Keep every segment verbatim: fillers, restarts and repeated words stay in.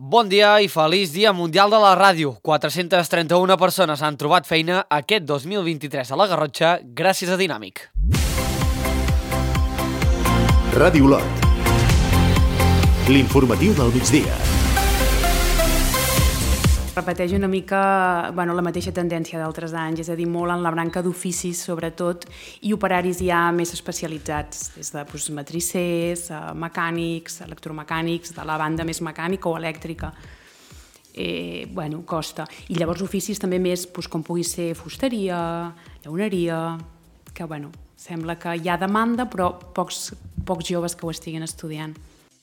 Bon dia i feliç Dia Mundial de la Ràdio. quatre-centes trenta-una persones han trobat feina aquest dos mil vint-i-tres a la Garrotxa gràcies a Dinàmic. Ràdio Olot. L'informatiu del migdia. Repeteix una mica bueno, la mateixa tendència d'altres anys, és a dir, molt en la branca d'oficis, sobretot, i operaris ja més especialitzats, des de doncs, matricers, mecànics, electromecànics, de la banda més mecànica o elèctrica. Eh, bueno, costa. I llavors oficis també més, doncs, com pugui ser fusteria, llauneria, que bueno, sembla que hi ha demanda, però pocs, pocs joves que ho estiguin estudiant.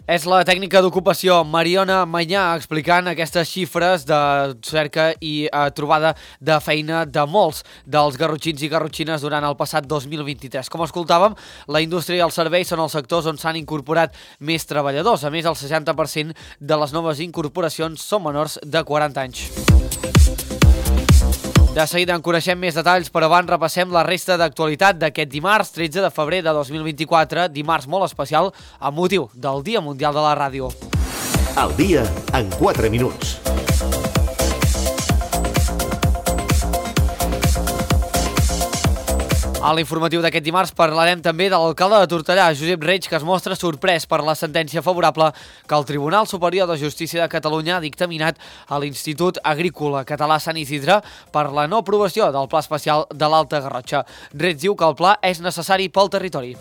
És la tècnica d'ocupació Mariona Manyà explicant aquestes xifres de cerca i eh, trobada de feina de molts dels garrotxins i garrotxines durant el passat dos mil vint-i-tres. Com escoltàvem, la indústria i els serveis són els sectors on s'han incorporat més treballadors. A més, el seixanta per cent de les noves incorporacions són menors de quaranta anys. De seguida en coneixem més detalls, però abans repassem la resta d'actualitat d'aquest dimarts, tretze de febrer de dos mil vint-i-quatre, dimarts molt especial amb motiu del Dia Mundial de la Ràdio. El dia en quatre minuts. A l'informatiu d'aquest dimarts parlarem també de l'alcalde de Tortellà, Josep Reig, que es mostra sorprès per la sentència favorable que el Tribunal Superior de Justícia de Catalunya ha dictaminat a l'Institut Agrícola Català Sant Isidre per la no aprovació del Pla Especial de l'Alta Garrotxa. Reig diu que el pla és necessari pel territori.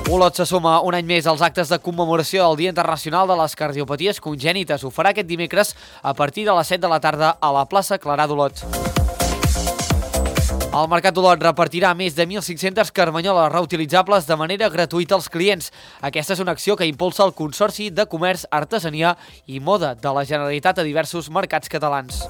Olot se suma un any més als actes de commemoració del Dia Internacional de les Cardiopaties Congènites. Ho farà aquest dimecres a partir de les set de la tarda a la plaça Clarà d'Olot. El Mercat d'Olot repartirà més de mil cinc-centes carmanyoles reutilitzables de manera gratuïta als clients. Aquesta és una acció que impulsa el Consorci de Comerç, Artesania i Moda de la Generalitat a diversos mercats catalans.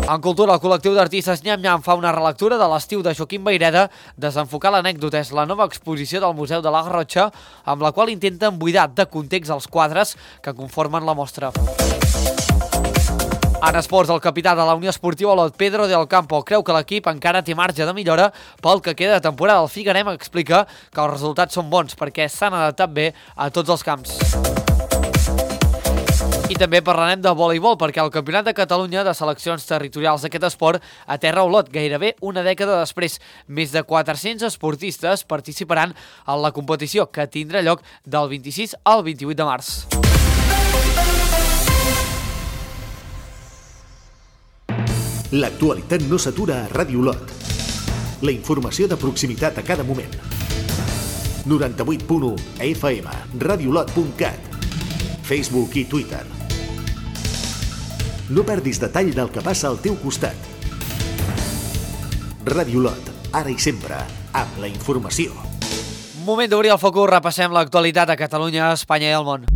En cultura, el col·lectiu d'artistes Nyam Nyam fa una relectura de l'estiu de Joaquim Vayreda. Desenfocar l'anècdota és la nova exposició del Museu de la Garrotxa, amb la qual intenten buidar de context els quadres que conformen la mostra. En esports, el capità de la Unió Esportiva Olot, Pedro del Campo, creu que l'equip encara té marge de millora pel que queda de temporada. El Figarem explica que els resultats són bons perquè s'han adaptat bé a tots els camps. I també parlarem de voleibol perquè el Campionat de Catalunya de seleccions territorials d'aquest esport aterra a Olot gairebé una dècada després. Més de quatre-cents esportistes participaran en la competició que tindrà lloc del vint-i-sis al vint-i-vuit de març. L'actualitat no s'atura a Ràdio Olot. La informació de proximitat a cada moment. noranta-vuit punt u F M, radiolot punt cat, Facebook i Twitter. No perdis detall del que passa al teu costat. Ràdio Olot, ara i sempre, amb la informació. Moment d'obrir el focus, repassem l'actualitat a Catalunya, Espanya i el món.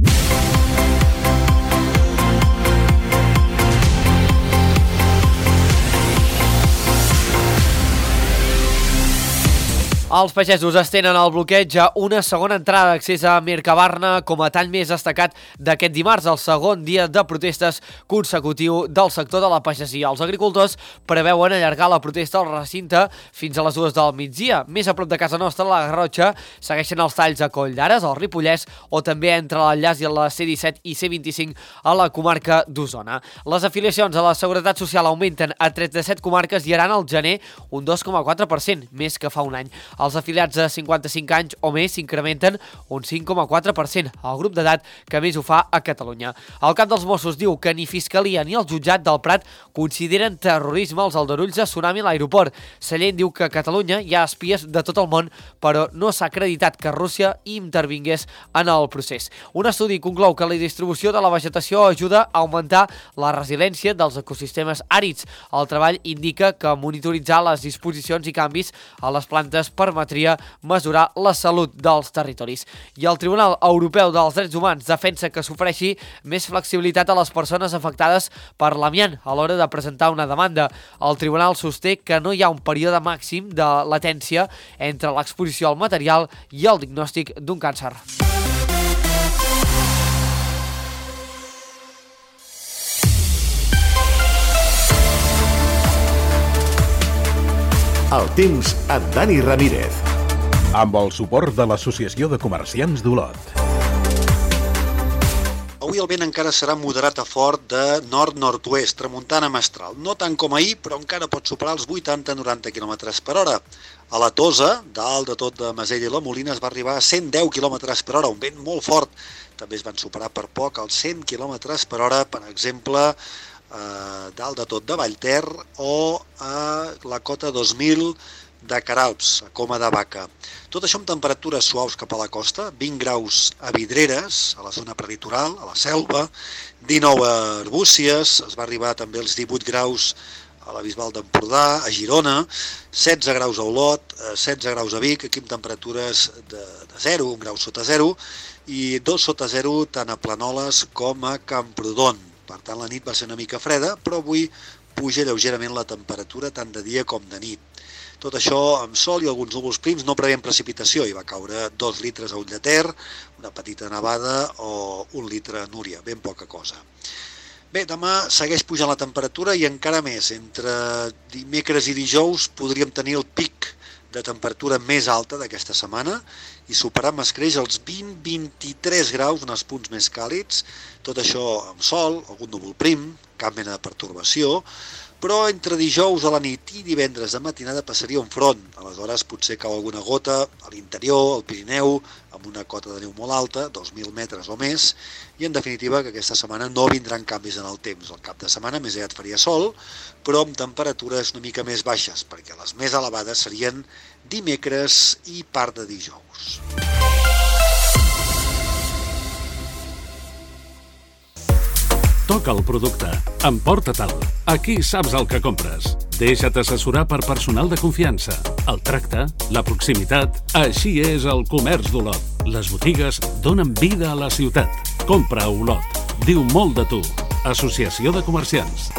Els pagesos estenen el bloqueig a una segona entrada d'accés a Mercabarna com a tall més destacat d'aquest dimarts, el segon dia de protestes consecutiu del sector de la pagesia. Els agricultors preveuen allargar la protesta al recinte fins a les dues del migdia. Més a prop de casa nostra, a la Garrotxa, segueixen els talls a Coll d'Ares, al Ripollès, o també entre l'enllaç i la C disset i C vint-i-cinc a la comarca d'Osona. Les afiliacions a la Seguretat Social augmenten a trenta-set comarques i seran al gener un dos coma quatre per cent, més que fa un any. Els afiliats de cinquanta-cinc anys o més s'incrementen un cinc coma quatre per cent, el grup d'edat que més ho fa a Catalunya. El cap dels Mossos diu que ni Fiscalia ni el jutjat del Prat consideren terrorisme els aldarulls de tsunami a l'aeroport. Sallent diu que a Catalunya hi ha espies de tot el món, però no s'ha acreditat que Rússia intervingués en el procés. Un estudi conclou que la distribució de la vegetació ajuda a augmentar la resiliència dels ecosistemes àrids. El treball indica que monitoritzar les disposicions i canvis a les plantes permetria mesurar la salut dels territoris. I el Tribunal Europeu dels Drets Humans defensa que s'ofereixi més flexibilitat a les persones afectades per l'amiant a l'hora de presentar una demanda. El tribunal sosté que no hi ha un període màxim de latència entre l'exposició al material i el diagnòstic d'un càncer. El temps amb Dani Ramírez. Amb el suport de l'Associació de Comerciants d'Olot. Avui el vent encara serà moderat a fort de nord-nord-oest, tramuntana mestral. No tant com ahir, però encara pot superar els vuitanta a noranta quilòmetres per hora. A la Tosa, dalt de tot de Masella i la Molina, es va arribar a cent deu quilòmetres per hora, un vent molt fort. També es van superar per poc els cent quilòmetres per hora, per exemple, eh, dalt de tot de Vallter o a la cota dos mil de Caralps, a Coma de Vaca. Tot això amb temperatures suaus cap a la costa, vint graus a Vidreres, a la zona prelitoral, a la Selva, dinou a Arbúcies, es va arribar també als divuit graus a la Bisbal d'Empordà, a Girona, setze graus a Olot, setze graus a Vic, aquí amb temperatures de, de zero, un grau sota zero, i dos sota zero tant a Planoles com a Camprodon. Per tant, la nit va ser una mica freda, però avui puja lleugerament la temperatura tant de dia com de nit. Tot això amb sol i alguns núvols prims, no preveiem precipitació, hi va caure dos litres a Ull de Ter, una petita nevada o un litre a Núria, ben poca cosa. Bé, demà segueix pujant la temperatura i encara més. Entre dimecres i dijous podríem tenir el pic de temperatura més alta d'aquesta setmana i superar amb escreix els vint a vint-i-tres graus en els punts més càlids. Tot això amb sol, algun núvol prim, cap mena de pertorbació, però entre dijous a la nit i divendres de matinada passaria un front. Aleshores potser cau alguna gota a l'interior, al Pirineu, amb una cota de neu molt alta, dos mil metres o més, i en definitiva que aquesta setmana no vindran canvis en el temps. El cap de setmana més aviat faria sol, però amb temperatures una mica més baixes, perquè les més elevades serien dimecres i part de dijous. Toca el producte, emporta-te'l. Aquí saps el que compres. Deixa't assessorar per personal de confiança. El tracte, la proximitat, així és el comerç d'Olot. Les botigues donen vida a la ciutat. Compra a Olot. Diu molt de tu. Associació de Comerciants.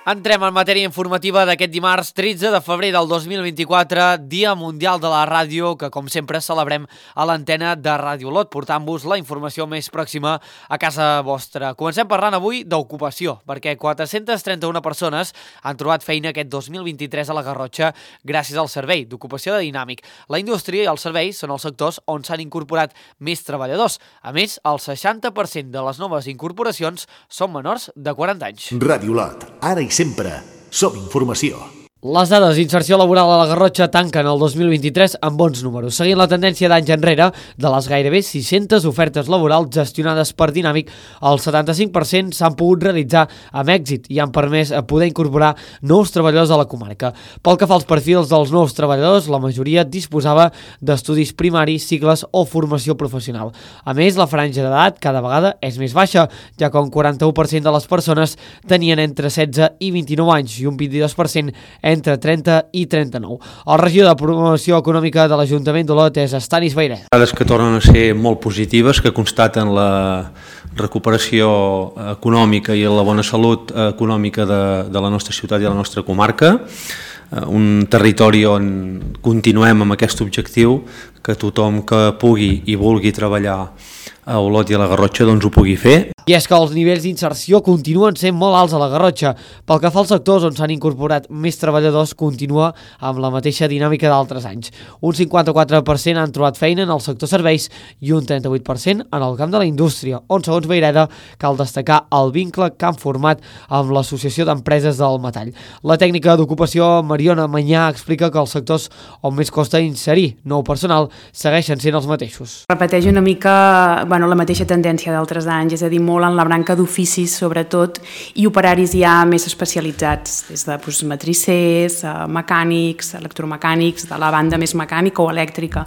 Entrem en matèria informativa d'aquest dimarts tretze de febrer del dos mil vint-i-quatre, Dia Mundial de la Ràdio, que com sempre celebrem a l'antena de Ràdio Olot, portant-vos la informació més pròxima a casa vostra. Comencem parlant avui d'ocupació, perquè quatre-centes trenta-una persones han trobat feina aquest dos mil vint-i-tres a la Garrotxa gràcies al servei d'ocupació de Dinàmic. La indústria i els serveis són els sectors on s'han incorporat més treballadors. A més, el seixanta per cent de les noves incorporacions són menors de quaranta anys. Ràdio Olot, ara i sempre som informació. Les dades d'inserció laboral a la Garrotxa tanquen el dos mil vint-i-tres amb bons números, seguint la tendència d'anys enrere de les gairebé sis-centes ofertes laborals gestionades per Dinàmic. El setanta-cinc per cent s'han pogut realitzar amb èxit i han permès poder incorporar nous treballadors a la comarca. Pel que fa als perfils dels nous treballadors, la majoria disposava d'estudis primaris, cicles o formació professional. A més, la franja d'edat cada vegada és més baixa, ja que un quaranta-u per cent de les persones tenien entre setze i vint-i-nou anys i un vint-i-dos per cent entre trenta i trenta-nou. El regidor de Promoció Econòmica de l'Ajuntament d'Olot és Estanis Bairet. Dades que tornen a ser molt positives, que constaten la recuperació econòmica i la bona salut econòmica de, de la nostra ciutat i de la nostra comarca. Un territori on continuem amb aquest objectiu, que tothom que pugui i vulgui treballar a Olot i a la Garrotxa doncs ho pugui fer. I és que els nivells d'inserció continuen sent molt alts a la Garrotxa. Pel que fa als sectors on s'han incorporat més treballadors, continua amb la mateixa dinàmica d'altres anys. Un cinquanta-quatre per cent han trobat feina en el sector serveis i un trenta-vuit per cent en el camp de la indústria, on, segons Baireda, cal destacar el vincle que han format amb l'Associació d'Empreses del Metall. La tècnica d'ocupació Mariona Manyà explica que els sectors on més costa inserir nou personal segueixen sent els mateixos. Repeteix una mica bueno, la mateixa tendència d'altres anys, és a dir, molt en la branca d'oficis, sobretot, i operaris ja més especialitzats, des de doncs, matrissers, mecànics, electromecànics, de la banda més mecànica o elèctrica.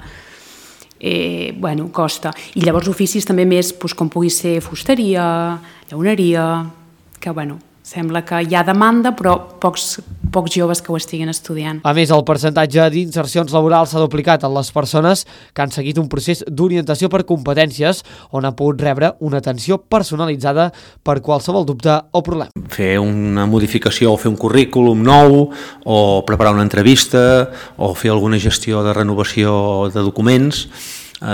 Eh, bueno, costa. I llavors oficis també més, doncs, com pugui ser fusteria, llauneria, que, bueno, sembla que hi ha demanda, però pocs, pocs joves que ho estiguin estudiant. A més, el percentatge d'insercions laborals s'ha duplicat en les persones que han seguit un procés d'orientació per competències on ha pogut rebre una atenció personalitzada per qualsevol dubte o problema. Fer una modificació o fer un currículum nou o preparar una entrevista o fer alguna gestió de renovació de documents.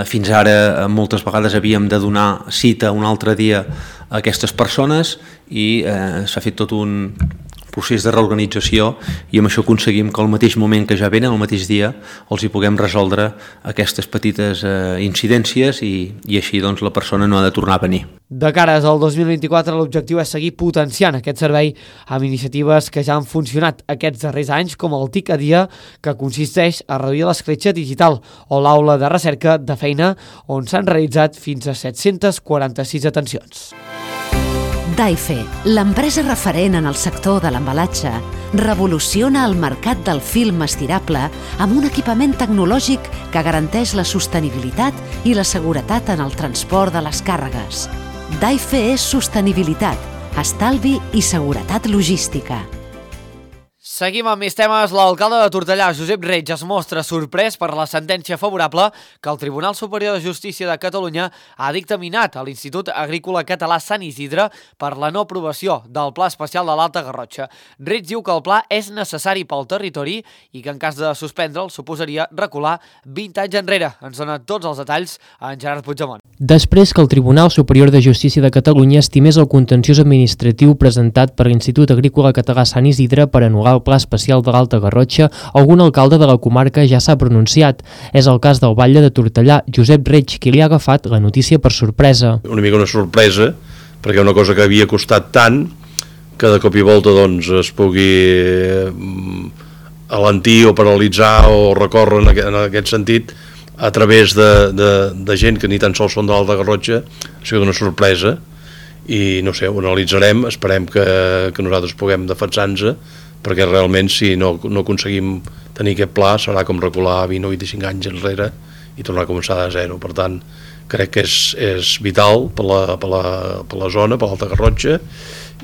Fins ara moltes vegades havíem de donar cita un altre dia a aquestes persones i eh, s'ha fet tot un procés de reorganització, i amb això aconseguim que al mateix moment que ja venen, al mateix dia, els hi puguem resoldre aquestes petites eh, incidències i, i així doncs, la persona no ha de tornar a venir. De cares al dos mil vint-i-quatre, l'objectiu és seguir potenciant aquest servei amb iniciatives que ja han funcionat aquests darrers anys, com el TIC a dia, que consisteix a reduir l'escletxa digital, o l'aula de recerca de feina, on s'han realitzat fins a set-cents quaranta-sis atencions. Daife, l'empresa referent en el sector de l'embalatge, revoluciona el mercat del film estirable amb un equipament tecnològic que garanteix la sostenibilitat i la seguretat en el transport de les càrregues. Daife és sostenibilitat, estalvi i seguretat logística. Seguim amb més temes. L'alcalde de Tortellà, Josep Reig, es mostra sorprès per la sentència favorable que el Tribunal Superior de Justícia de Catalunya ha dictaminat a l'Institut Agrícola Català Sant Isidre per la no aprovació del Pla Especial de l'Alta Garrotxa. Reig diu que el pla és necessari pel territori i que en cas de suspendre'l suposaria recular vint anys enrere. Ens dona tots els detalls en Gerard Puigdemont. Després que el Tribunal Superior de Justícia de Catalunya estimés el contenciós administratiu presentat per l'Institut Agrícola Català Sant Isidre per anul·lar el Pla Especial de l'Alta Garrotxa, algun alcalde de la comarca ja s'ha pronunciat. És el cas del batlle de Tortellà, Josep Reig, qui li ha agafat la notícia per sorpresa. Una mica una sorpresa, perquè una cosa que havia costat tant, que de cop i volta doncs, es pugui alentir o paralitzar o recórrer en aquest, en aquest sentit a través de, de, de gent que ni tan sols són de l'Alta Garrotxa, ha sigut una sorpresa i no sé, ho analitzarem, esperem que, que nosaltres puguem defensar-nos, perquè realment si no, no aconseguim tenir aquest pla serà com recular vint o vint-i-cinc anys enrere i tornar a començar de zero. Per tant, crec que és, és vital per la, per la, per la zona, per l'Alta Garrotxa,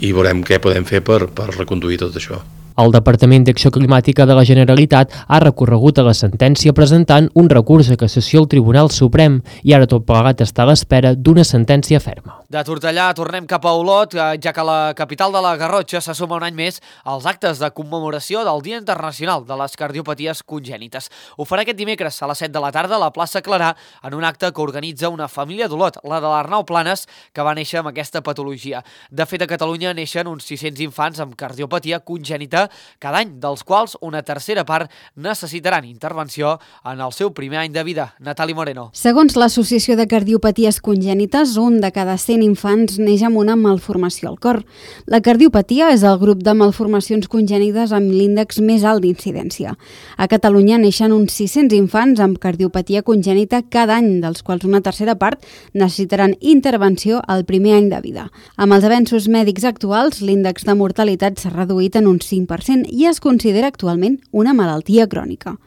i veurem què podem fer per, per reconduir tot això. El Departament d'Acció Climàtica de la Generalitat ha recorregut a la sentència presentant un recurs de cassació al Tribunal Suprem i ara tot plegat està a l'espera d'una sentència ferma. De Tortellà tornem cap a Olot, ja que la capital de la Garrotxa se suma un any més als actes de commemoració del Dia Internacional de les Cardiopaties Congènites. Ho farà aquest dimecres a les set de la tarda a la plaça Clarà en un acte que organitza una família d'Olot, la de l'Arnau Planes, que va néixer amb aquesta patologia. De fet, a Catalunya neixen uns sis-cents infants amb cardiopatia congènita cada any, dels quals una tercera part necessitaran intervenció en el seu primer any de vida. Natali Moreno. Segons l'Associació de Cardiopaties Congènites, un de cada cent infants neix amb una malformació al cor. La cardiopatia és el grup de malformacions congènites amb l'índex més alt d'incidència. A Catalunya neixen uns sis-cents infants amb cardiopatia congènita cada any, dels quals una tercera part necessitaran intervenció al primer any de vida. Amb els avenços mèdics actuals, l'índex de mortalitat s'ha reduït en un cinc per cent i es considera actualment una malaltia crònica.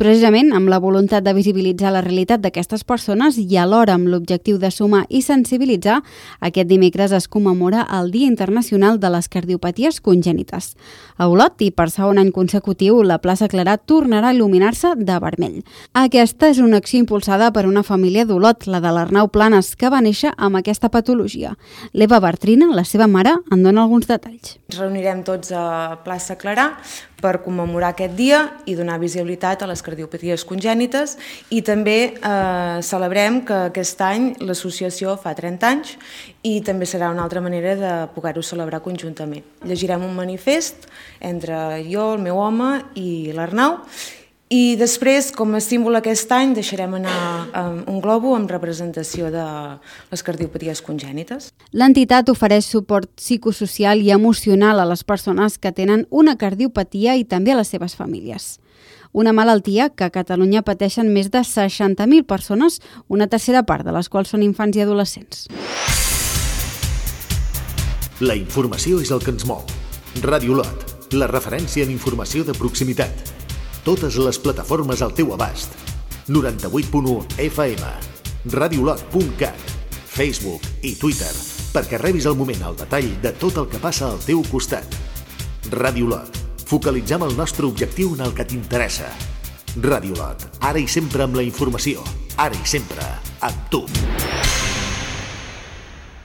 Precisament amb la voluntat de visibilitzar la realitat d'aquestes persones i alhora amb l'objectiu de sumar i sensibilitzar, aquest dimecres es commemora el Dia Internacional de les Cardiopaties Congènites. A Olot, i per segon any consecutiu, la plaça Clarà tornarà a il·luminar-se de vermell. Aquesta és una acció impulsada per una família d'Olot, la de l'Arnau Planes, que va néixer amb aquesta patologia. L'Eva Bartrina, la seva mare, en dona alguns detalls. Ens reunirem tots a plaça Clarà per commemorar aquest dia i donar visibilitat a les cardiopaties congènites, i també eh, celebrem que aquest any l'associació fa trenta anys i també serà una altra manera de poder-ho celebrar conjuntament. Llegirem un manifest entre jo, el meu home i l'Arnau, i després, com a símbol aquest any, deixarem anar un globo amb representació de les cardiopaties congènites. L'entitat ofereix suport psicosocial i emocional a les persones que tenen una cardiopatia i també a les seves famílies. Una malaltia que a Catalunya pateixen més de seixanta mil persones, una tercera part de les quals són infants i adolescents. La informació és el que ens mou. Ràdio Olot, la referència en informació de proximitat. Totes les plataformes al teu abast. noranta-vuit punt u F M, radiolot punt cat, Facebook i Twitter, perquè rebis al moment el detall de tot el que passa al teu costat. Ràdio Olot, focalitzem el nostre objectiu en el que t'interessa. Ràdio Olot, ara i sempre amb la informació, ara i sempre amb tu.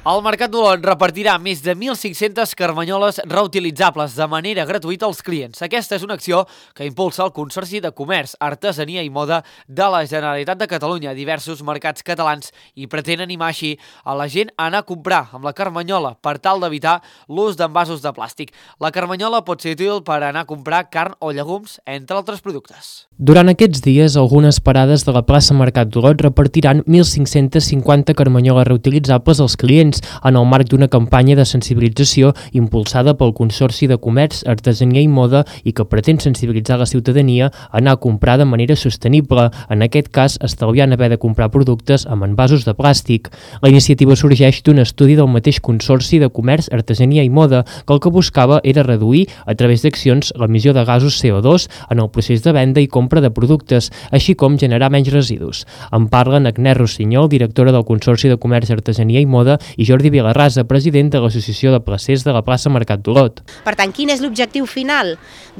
El Mercat d'Olot repartirà més de mil cinc-centes carmanyoles reutilitzables de manera gratuïta als clients. Aquesta és una acció que impulsa el Consorci de Comerç, Artesania i Moda de la Generalitat de Catalunya a diversos mercats catalans i pretén animar així a la gent a anar a comprar amb la carmanyola per tal d'evitar l'ús d'envasos de plàstic. La carmanyola pot ser útil per anar a comprar carn o llegums, entre altres productes. Durant aquests dies, algunes parades de la plaça Mercat d'Olot repartiran mil cinc-centes cinquanta carmanyoles reutilitzables als clients en el marc d'una campanya de sensibilització impulsada pel Consorci de Comerç, Artesania i Moda i que pretén sensibilitzar la ciutadania a anar a comprar de manera sostenible, en aquest cas estalviant haver de comprar productes amb envasos de plàstic. La iniciativa sorgeix d'un estudi del mateix Consorci de Comerç, Artesania i Moda que el que buscava era reduir, a través d'accions, l'emissió de gasos C O dos en el procés de venda i compra de productes, així com generar menys residus. En parlen Agnès Rossinyol, directora del Consorci de Comerç, Artesania i Moda, i Jordi Vilarrasa, president de l'Associació de Placers de la plaça Mercat d'Olot. Per tant, quin és l'objectiu final?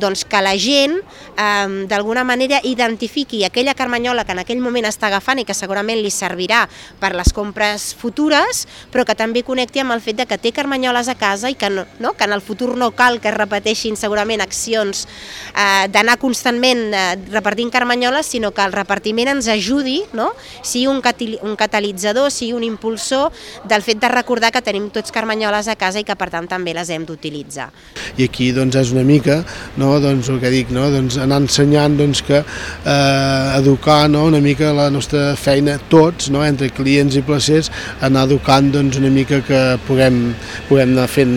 Doncs que la gent, eh, d'alguna manera, identifiqui aquella carmanyola que en aquell moment està agafant i que segurament li servirà per les compres futures, però que també connecti amb el fet de que té carmanyoles a casa i que, no, no, que en el futur no cal que es repeteixin segurament accions eh, d'anar constantment eh, repartint carmanyoles, sinó que el repartiment ens ajudi, no? sigui un, un catalitzador, sigui un impulsor del fet de recordar que tenim tots carmanyoles a casa i que per tant també les hem d'utilitzar. I aquí doncs és una mica, no, doncs el que dic, no, doncs anar ensenyant doncs que eh, educar, no, una mica la nostra feina tots, no, entre clients i placers, anar educant doncs una mica que puguem puguem anar fent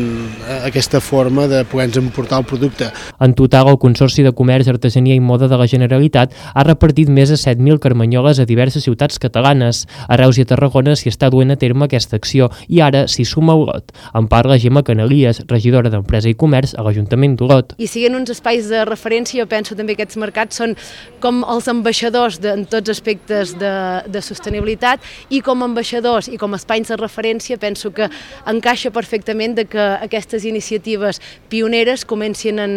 aquesta forma de poder-nos emportar el producte. En total, el Consorci de Comerç, Artesania i Moda de la Generalitat ha repartit més de set mil carmanyoles a diverses ciutats catalanes. A Reus i a Tarragona s'hi està duent a terme aquesta acció i ara s'hi suma Olot. En parla Gemma Canalies, regidora d'Empresa i Comerç a l'Ajuntament d'Olot. I siguin uns espais de referència, jo penso també que aquests mercats són com els ambaixadors de, en tots aspectes de, de sostenibilitat i com a ambaixadors i com a espais de referència penso que encaixa perfectament de que aquestes iniciatives pioneres comencin en,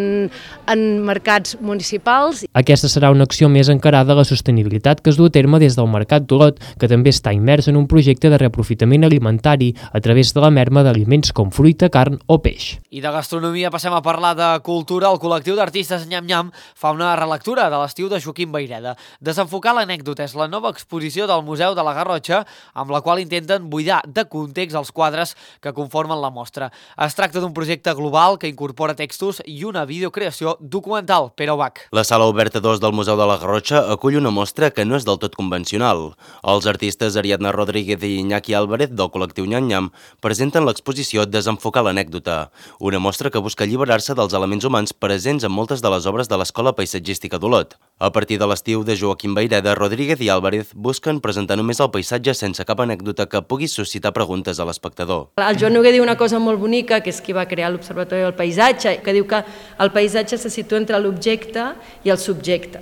en mercats municipals. Aquesta serà una acció més encarada a la sostenibilitat que es du a terme des del Mercat d'Olot, que també està immers en un projecte de reaprofitament alimentari a través de la merma d'aliments com fruita, carn o peix. I de gastronomia passem a parlar de cultura. El col·lectiu d'artistes Nyam Nyam fa una relectura de l'estiu de Joaquim Vayreda. Desenfocar l'anècdota és la nova exposició del Museu de la Garrotxa, amb la qual intenten buidar de context els quadres que conformen la mostra. Es tracta d'un projecte global que incorpora textos i una videocreació documental. Pere Ubach. La Sala Oberta dos del Museu de la Garrotxa acull una mostra que no és del tot convencional. Els artistes Ariadna Rodríguez i Iñaki Álvarez del col·lectiu Nyam Nyam presenten l'exposició Desenfocar l'anècdota, una mostra que busca alliberar-se dels elements humans presents en moltes de les obres de l'Escola Paisatgística d'Olot. A partir de l'estiu de Joaquim Vayreda, Rodríguez i Álvarez busquen presentar només el paisatge sense cap anècdota que pugui suscitar preguntes a l'espectador. El Joan Noguer diu una cosa molt bonica, que és qui va crear l'Observatori del Paisatge, que diu que el paisatge se situa entre l'objecte i el subjecte.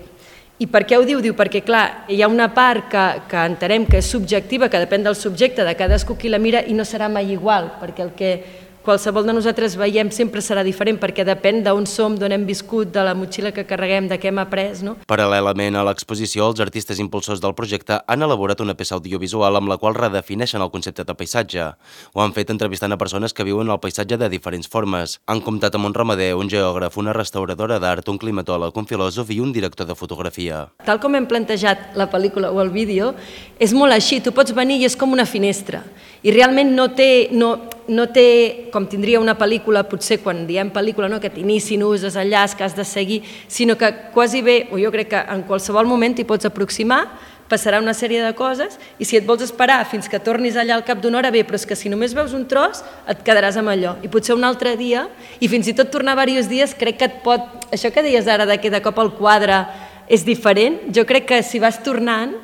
I per què ho diu? Diu perquè, clar, hi ha una part que, que entenem que és subjectiva, que depèn del subjecte, de cadascú qui la mira, i no serà mai igual, perquè el que qualsevol de nosaltres veiem sempre serà diferent, perquè depèn d'on som, d'on hem viscut, de la motxilla que carreguem, de què hem après, no? Paral·lelament a l'exposició, els artistes impulsors del projecte han elaborat una peça audiovisual amb la qual redefineixen el concepte de paisatge. Ho han fet entrevistant a persones que viuen el paisatge de diferents formes. Han comptat amb un ramader, un geògraf, una restauradora d'art, un climatòleg, un filòsof i un director de fotografia. Tal com hem plantejat la pel·lícula o el vídeo, és molt així, tu pots venir i és com una finestra. I realment no té, no, no té, com tindria una pel·lícula, potser quan diem pel·lícula, no, que t'inici, nus, desenllaç, que has de seguir, sinó que quasi bé, o jo crec que en qualsevol moment t'hi pots aproximar, passarà una sèrie de coses, i si et vols esperar fins que tornis allà al cap d'una hora, bé, però és que si només veus un tros, et quedaràs amb allò. I potser un altre dia, i fins i tot tornar diversos dies, crec que et pot... Això que deies ara, de que de cop el quadre és diferent, jo crec que si vas tornant,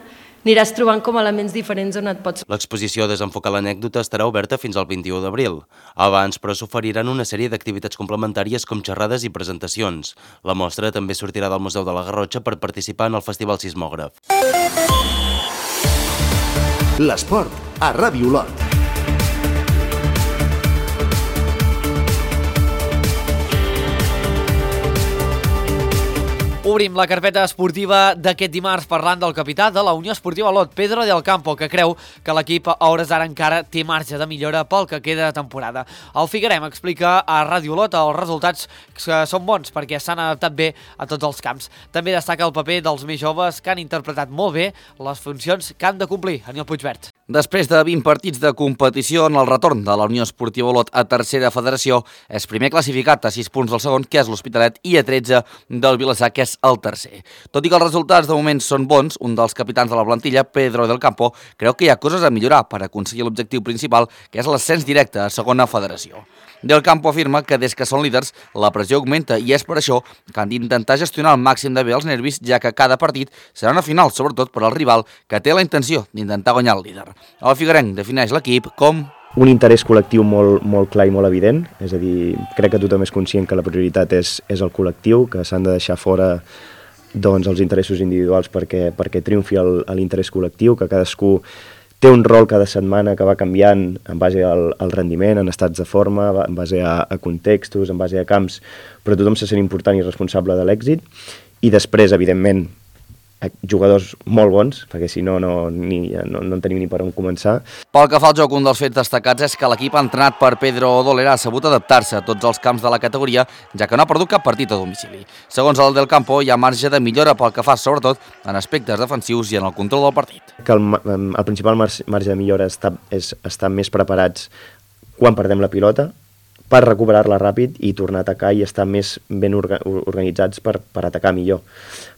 aniràs trobant com elements diferents on et pots... L'exposició Desenfocar l'anècdota estarà oberta fins al vint-i-u d'abril. Abans, però, s'oferiran una sèrie d'activitats complementàries com xerrades i presentacions. La mostra també sortirà del Museu de la Garrotxa per participar en el Festival Sismògraf. L'esport a Ràdio Olot. Obrim la carpeta esportiva d'aquest dimarts parlant del capità de la Unió Esportiva Olot, Pedro del Campo, que creu que l'equip a hores d'ara encara té marge de millora pel que queda de temporada. El Figuerem explica a Ràdio Olot els resultats que són bons perquè s'han adaptat bé a tots els camps. També destaca el paper dels més joves que han interpretat molt bé les funcions que han de complir. Aniol Puigvert. Després de vint partits de competició en el retorn de la Unió Esportiva Olot a tercera federació, és primer classificat a sis punts del segon, que és l'Hospitalet, i a tretze del Vilassar, que és el tercer. Tot i que els resultats de moment són bons, un dels capitans de la plantilla, Pedro del Campo, creu que hi ha coses a millorar per aconseguir l'objectiu principal, que és l'ascens directe a segona federació. Del Campo afirma que des que són líders la pressió augmenta i és per això que han d'intentar gestionar al màxim de bé els nervis, ja que cada partit serà una final, sobretot per al rival que té la intenció d'intentar guanyar el líder. El Figuerenc defineix l'equip com un interès col·lectiu molt, molt clar i molt evident, és a dir, crec que tothom és conscient que la prioritat és, és el col·lectiu, que s'han de deixar fora doncs, els interessos individuals perquè, perquè triomfi l'interès col·lectiu, que cadascú té un rol cada setmana que va canviant en base al, al rendiment, en estats de forma, en base a, a contextos, en base a camps, però tothom se sent important i responsable de l'èxit. I després, evidentment, jugadors molt bons, perquè si no no, ni, no no en tenim ni per on començar. Pel que fa al joc, un dels fets destacats és que l'equip entrenat per Pedro Dolera ha sabut adaptar-se a tots els camps de la categoria, ja que no ha perdut cap partit a domicili. Segons el Del Campo, hi ha marge de millora pel que fa, sobretot, en aspectes defensius i en el control del partit. Que el, el principal marge de millora està, és estar més preparats quan perdem la pilota, per recuperar-la ràpid i tornar a atacar i estar més ben orga, organitzats per, per atacar millor.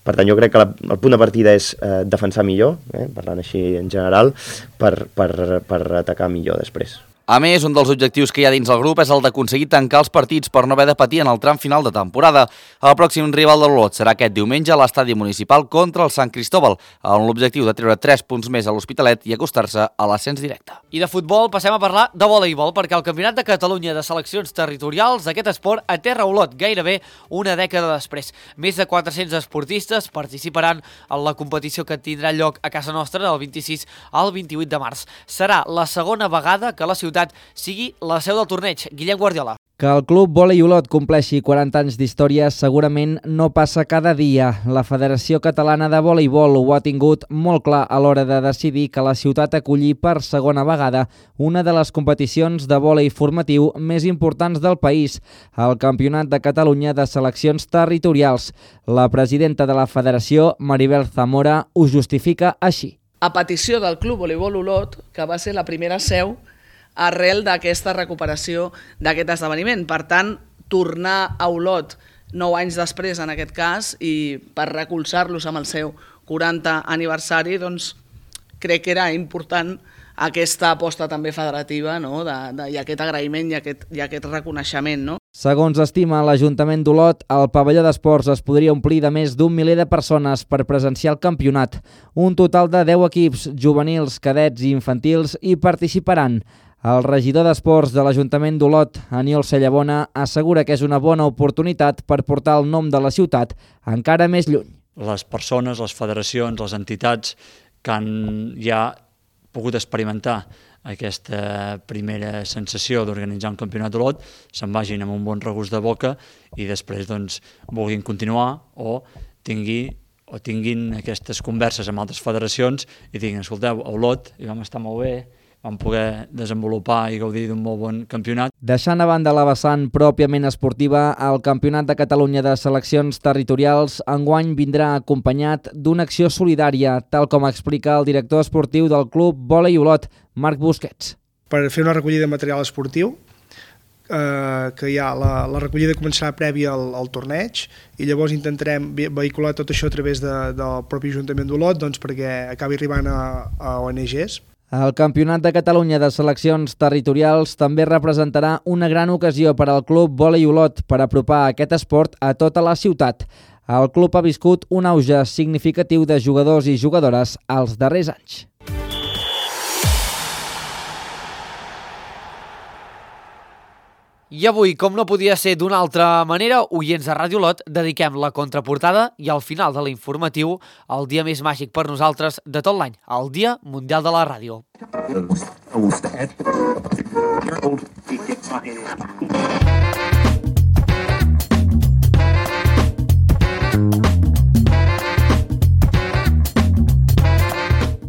Per tant, jo crec que la, el punt de partida és eh, defensar millor, eh, parlant així en general, per, per, per atacar millor després. A més, un dels objectius que hi ha dins el grup és el d'aconseguir tancar els partits per no haver de patir en el tram final de temporada. El pròxim rival de l'Olot serà aquest diumenge a l'estadi municipal contra el Sant Cristóbal, amb l'objectiu de treure tres punts més a l'Hospitalet i acostar-se a l'ascens directe. I de futbol passem a parlar de voleibol, perquè el Campionat de Catalunya de Seleccions Territorials d'aquest esport aterra a Olot gairebé una dècada després. Més de quatre-cents esportistes participaran en la competició que tindrà lloc a casa nostra del vint-i-sis al vint-i-vuit de març. Serà la segona vegada que la ciutat sigui la seu del torneig. Guillem Guardiola. Que el Club Vòlei Olot compleixi quaranta anys d'història segurament no passa cada dia. La Federació Catalana de Voleibol ho ha tingut molt clar a l'hora de decidir que la ciutat acolli per segona vegada una de les competicions de vòlei formatiu més importants del país, el Campionat de Catalunya de Seleccions Territorials. La presidenta de la Federació, Maribel Zamora, ho justifica així. A petició del Club Voleibol Olot, que va ser la primera seu arrel d'aquesta recuperació d'aquest esdeveniment. Per tant, tornar a Olot nou anys després, en aquest cas, i per recolzar-los amb el seu quaranta aniversari, doncs crec que era important aquesta aposta també federativa, no? de, de, i aquest agraïment i aquest, i aquest reconeixement. No? Segons estima l'Ajuntament d'Olot, el pavelló d'esports es podria omplir de més d'un miler de persones per presenciar el campionat. Un total de deu equips, juvenils, cadets i infantils, hi participaran. El regidor d'Esports de l'Ajuntament d'Olot, Aniol Cellabona, assegura que és una bona oportunitat per portar el nom de la ciutat encara més lluny. Les persones, les federacions, les entitats que han ja pogut experimentar aquesta primera sensació d'organitzar un campionat d'Olot se'n vagin amb un bon regust de boca i després doncs, vulguin continuar o tingui, o tinguin aquestes converses amb altres federacions i diguin, escolteu, a Olot hi vam estar molt bé, vam poder desenvolupar i gaudir d'un molt bon campionat. Deixant a banda la vessant pròpiament esportiva, el Campionat de Catalunya de Seleccions Territorials enguany vindrà acompanyat d'una acció solidària, tal com explica el director esportiu del Club Vòlei Olot, Marc Busquets. Per fer una recollida de material esportiu, eh, que hi ha la, la recollida començarà prèvia al, al torneig i llavors intentarem vehicular tot això a través de, del propi Ajuntament d'Olot doncs, perquè acabi arribant a, a O N Ges. El Campionat de Catalunya de Seleccions Territorials també representarà una gran ocasió per al Club Vòlei Olot per apropar aquest esport a tota la ciutat. El club ha viscut un auge significatiu de jugadors i jugadores als darrers anys. I avui, com no podia ser d'una altra manera, oients de Ràdio Olot, dediquem la contraportada i al final de l'informatiu el dia més màgic per nosaltres de tot l'any, el Dia Mundial de la Ràdio.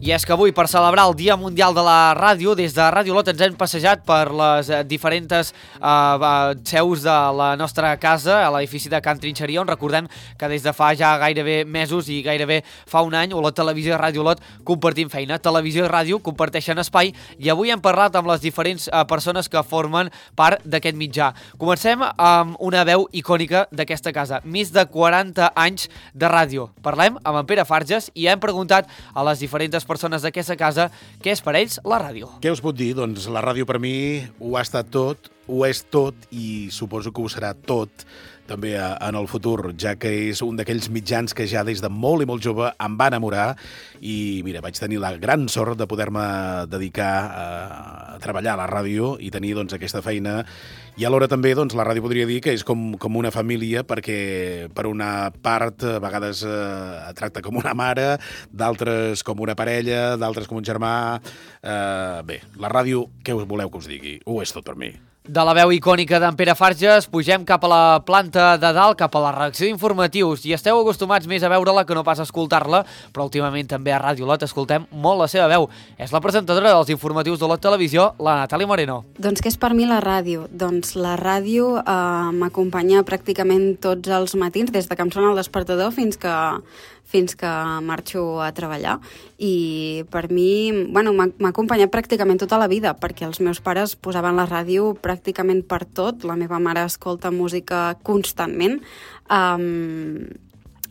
I és que avui, per celebrar el Dia Mundial de la Ràdio, des de Ràdio Olot ens hem passejat per les diferents uh, seus de la nostra casa, a l'edifici de Can Trinxeria, on recordem que des de fa ja gairebé mesos i gairebé fa un any, Olot Televisió i Ràdio Olot compartim feina. Televisió i ràdio comparteixen espai i avui hem parlat amb les diferents uh, persones que formen part d'aquest mitjà. Comencem amb una veu icònica d'aquesta casa. Més de quaranta anys de ràdio. Parlem amb en Pere Farges i hem preguntat a les diferents persones d'aquesta casa què és per ells la ràdio. Què us puc dir? Doncs la ràdio per mi ho ha estat tot, ho és tot i suposo que ho serà tot també en el futur, ja que és un d'aquells mitjans que ja des de molt i molt jove em va enamorar i mira, vaig tenir la gran sort de poder-me dedicar a treballar a la ràdio i tenir doncs, aquesta feina. I alhora també doncs, la ràdio podria dir que és com, com una família, perquè per una part a vegades eh, tracta com una mare, d'altres com una parella, d'altres com un germà. Eh, bé, la ràdio, què us voleu que us digui? Ho és tot per mi. De la veu icònica d'en Pere Farges, pugem cap a la planta de dalt, cap a la redacció d'informatius, i esteu acostumats més a veure-la que no pas a escoltar-la, però últimament també a Ràdio Olot escoltem molt la seva veu. És la presentadora dels informatius d'Olot Televisió, la Natàlia Moreno. Doncs què és per mi la ràdio? Doncs la ràdio eh, m'acompanya pràcticament tots els matins, des de que em sona el despertador fins que fins que marxo a treballar. I per mi, bueno, m'ha acompanyat pràcticament tota la vida, perquè els meus pares posaven la ràdio pràcticament per tot. La meva mare escolta música constantment. Um,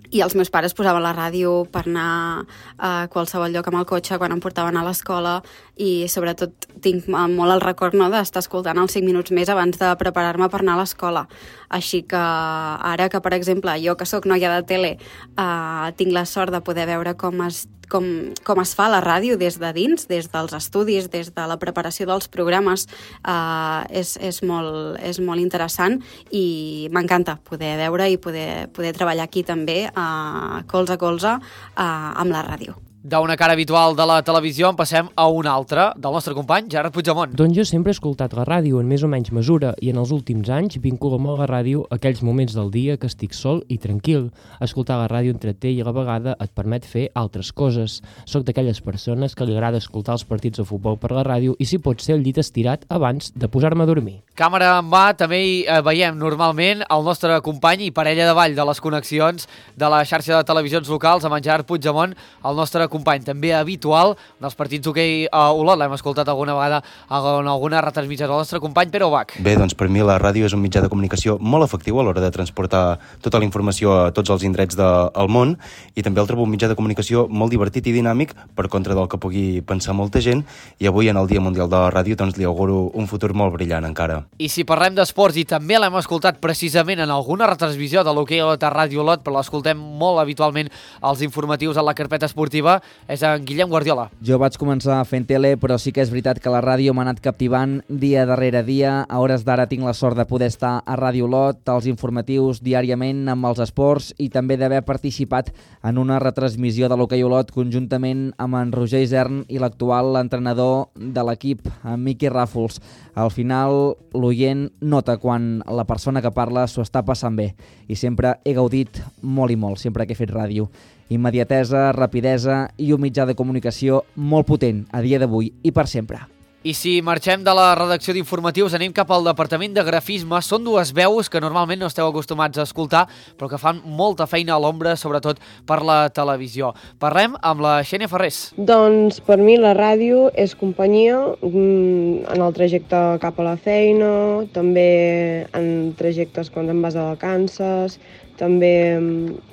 I els meus pares posaven la ràdio per anar a qualsevol lloc amb el cotxe quan em portaven a l'escola i sobretot tinc molt el record no, d'estar escoltant els cinc minuts més abans de preparar-me per anar a l'escola. Així que ara que, per exemple, jo que sóc noia de tele eh, tinc la sort de poder veure com es, com, com es fa la ràdio des de dins, des dels estudis, des de la preparació dels programes, eh, és, és, molt, és molt interessant i m'encanta poder veure i poder, poder treballar aquí també Uh, colze a colze uh, amb la ràdio. D'una cara habitual de la televisió en passem a una altra, del nostre company Gerard Puigdemont. Doncs jo sempre he escoltat la ràdio en més o menys mesura i en els últims anys vinculo molt la ràdio a aquells moments del dia que estic sol i tranquil. Escoltar la ràdio entreté i a la vegada et permet fer altres coses. Soc d'aquelles persones que li agrada escoltar els partits de futbol per la ràdio i si pot ser el llit estirat abans de posar-me a dormir. Càmera en mà, també hi eh, veiem normalment el nostre company i parella de ball de les connexions de la xarxa de televisions locals amb en Gerard Puigdemont, el nostre company també habitual dels partits d'hoquei a Olot. L'hem escoltat alguna vegada en alguna retransmissió del nostre company Pere Ubach. Bé, doncs per mi la ràdio és un mitjà de comunicació molt efectiu a l'hora de transportar tota la informació a tots els indrets del món i també el trobo un mitjà de comunicació molt divertit i dinàmic per contra del que pugui pensar molta gent i avui en el Dia Mundial de la Ràdio doncs li auguro un futur molt brillant encara. I si parlem d'esports i també l'hem escoltat precisament en alguna retransmissió de l'hoquei a Ràdio Olot, però l'escoltem molt habitualment als informatius a la carpeta esportiva, és en Guillem Guardiola. Jo vaig començar fent tele, però sí que és veritat que la ràdio m'ha anat captivant dia darrere dia. A hores d'ara tinc la sort de poder estar a Ràdio Olot, als informatius diàriament amb els esports i també d'haver participat en una retransmissió de l'hoquei Olot conjuntament amb en Roger Isern i l'actual entrenador de l'equip, en Miqui Ràfols. Al final, l'oient nota quan la persona que parla s'ho està passant bé i sempre he gaudit molt i molt, sempre que he fet ràdio. Immediatesa, rapidesa i un mitjà de comunicació molt potent a dia d'avui i per sempre. I si marxem de la redacció d'informatius, anem cap al departament de grafisme. Són dues veus que normalment no esteu acostumats a escoltar, però que fan molta feina a l'ombra, sobretot per la televisió. Parlem amb la Xènia Ferrés. Doncs per mi la ràdio és companyia en el trajecte cap a la feina, també en trajectes quan em vas a vacances, també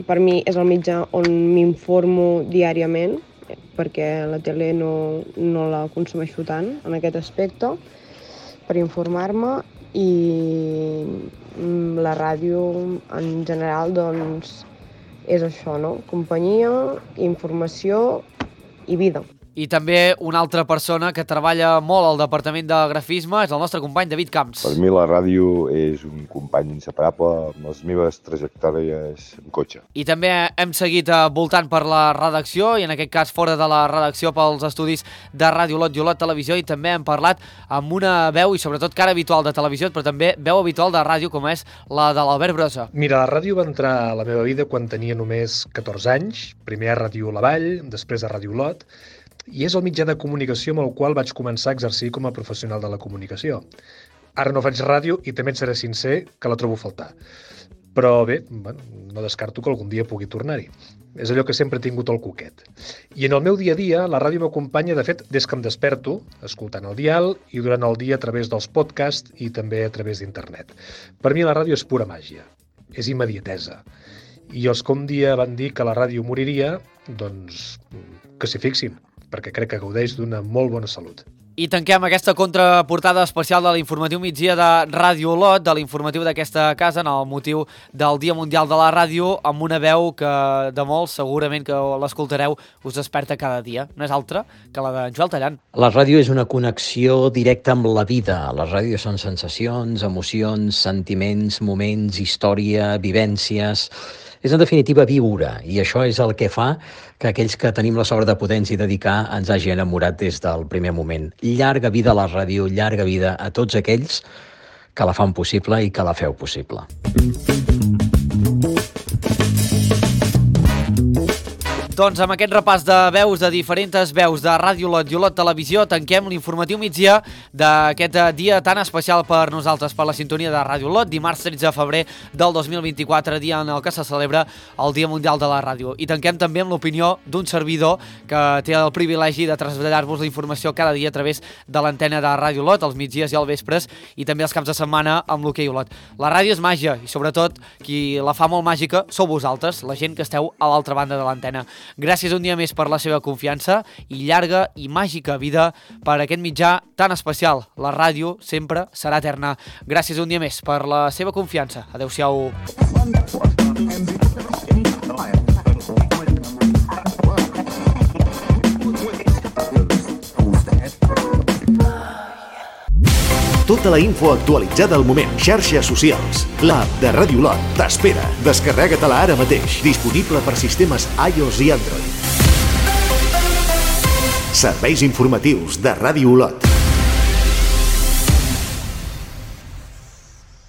per mi és el mitjà on m'informo diàriament, perquè la tele no, no la consumeixo tant en aquest aspecte, per informar-me, i la ràdio en general doncs, és això, no? Companyia, informació i vida. I també una altra persona que treballa molt al departament de grafisme és el nostre company David Camps. Per mi la ràdio és un company inseparable amb les meves trajectòries en cotxe. I també hem seguit voltant per la redacció i en aquest cas fora de la redacció pels estudis de Ràdio Olot i Olot Televisió i també hem parlat amb una veu i sobretot cara habitual de televisió però també veu habitual de ràdio com és la de l'Albert Brossa. Mira, la ràdio va entrar a la meva vida quan tenia només catorze anys, primer a Ràdio La Vall, després a Ràdio Olot. i és el mitjà de comunicació amb el qual vaig començar a exercir com a professional de la comunicació. Ara no faig ràdio i també et seré sincer que la trobo a faltar. Però bé, bueno, no descarto que algun dia pugui tornar-hi. És allò que sempre he tingut al coquet. I en el meu dia a dia, la ràdio m'acompanya, de fet, des que em desperto, escoltant el dial i durant el dia a través dels podcasts i també a través d'internet. Per mi la ràdio és pura màgia, és immediatesa. I els que un dia van dir que la ràdio moriria, doncs que s'hi fixin, perquè crec que gaudeix d'una molt bona salut. I tanquem aquesta contraportada especial de l'informatiu migdia de Ràdio Olot, de l'informatiu d'aquesta casa, en el motiu del Dia Mundial de la Ràdio, amb una veu que de molts, segurament que l'escoltareu, us desperta cada dia. No és altra que la de Joel Tallant. La ràdio és una connexió directa amb la vida. La ràdio són sensacions, emocions, sentiments, moments, història, vivències. És, en definitiva, viure, i això és el que fa que aquells que tenim la sort de poder-nos dedicar ens hagi enamorat des del primer moment. Llarga vida a la ràdio, llarga vida a tots aquells que la fan possible i que la feu possible. Doncs amb aquest repàs de veus, de diferents veus de Ràdio Olot i Olot Televisió, tanquem l'informatiu migdia d'aquest dia tan especial per nosaltres, per la sintonia de Ràdio Olot, dimarts tretze de febrer del dos mil vint-i-quatre, dia en el que se celebra el Dia Mundial de la Ràdio. I tanquem també amb l'opinió d'un servidor que té el privilegi de traslladar-vos la informació cada dia a través de l'antena de Ràdio Olot, els migdies i els vespres, i també els caps de setmana amb l'Hoquei Olot. La ràdio és màgia, i sobretot qui la fa molt màgica sou vosaltres, la gent que esteu a l'altra banda de l'antena. Gràcies un dia més per la seva confiança i llarga i màgica vida per aquest mitjà tan especial. La ràdio sempre serà eterna. Gràcies un dia més per la seva confiança. Adéu-siau. Tota la info actualitzada al moment. Xarxes socials. L'app de Ràdio Olot t'espera. Descarrega-te-la ara mateix. Disponible per sistemes iOS i Android. Serveis informatius de Ràdio Olot.